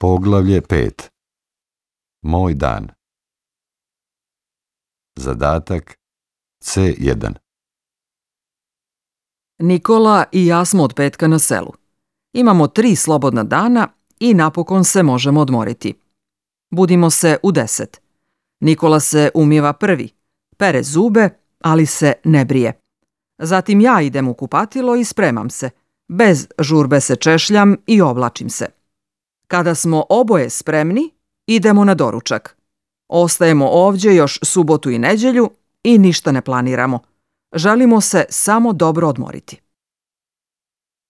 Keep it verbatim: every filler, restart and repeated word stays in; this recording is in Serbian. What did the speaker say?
Poglavlje pet. Moj dan. Zadatak C jedan. Nikola i ja smo od petka na selu. Imamo tri slobodna dana i napokon se možemo odmoriti. Budimo se u deset. Nikola se umiva prvi, pere zube, ali se ne brije. Zatim ja idem u kupatilo i spremam se. Bez žurbe se češljam i oblačim se. Kada smo oboje spremni, idemo na doručak. Ostajemo ovdje još subotu i nedjelju i ništa ne planiramo. Želimo se samo dobro odmoriti.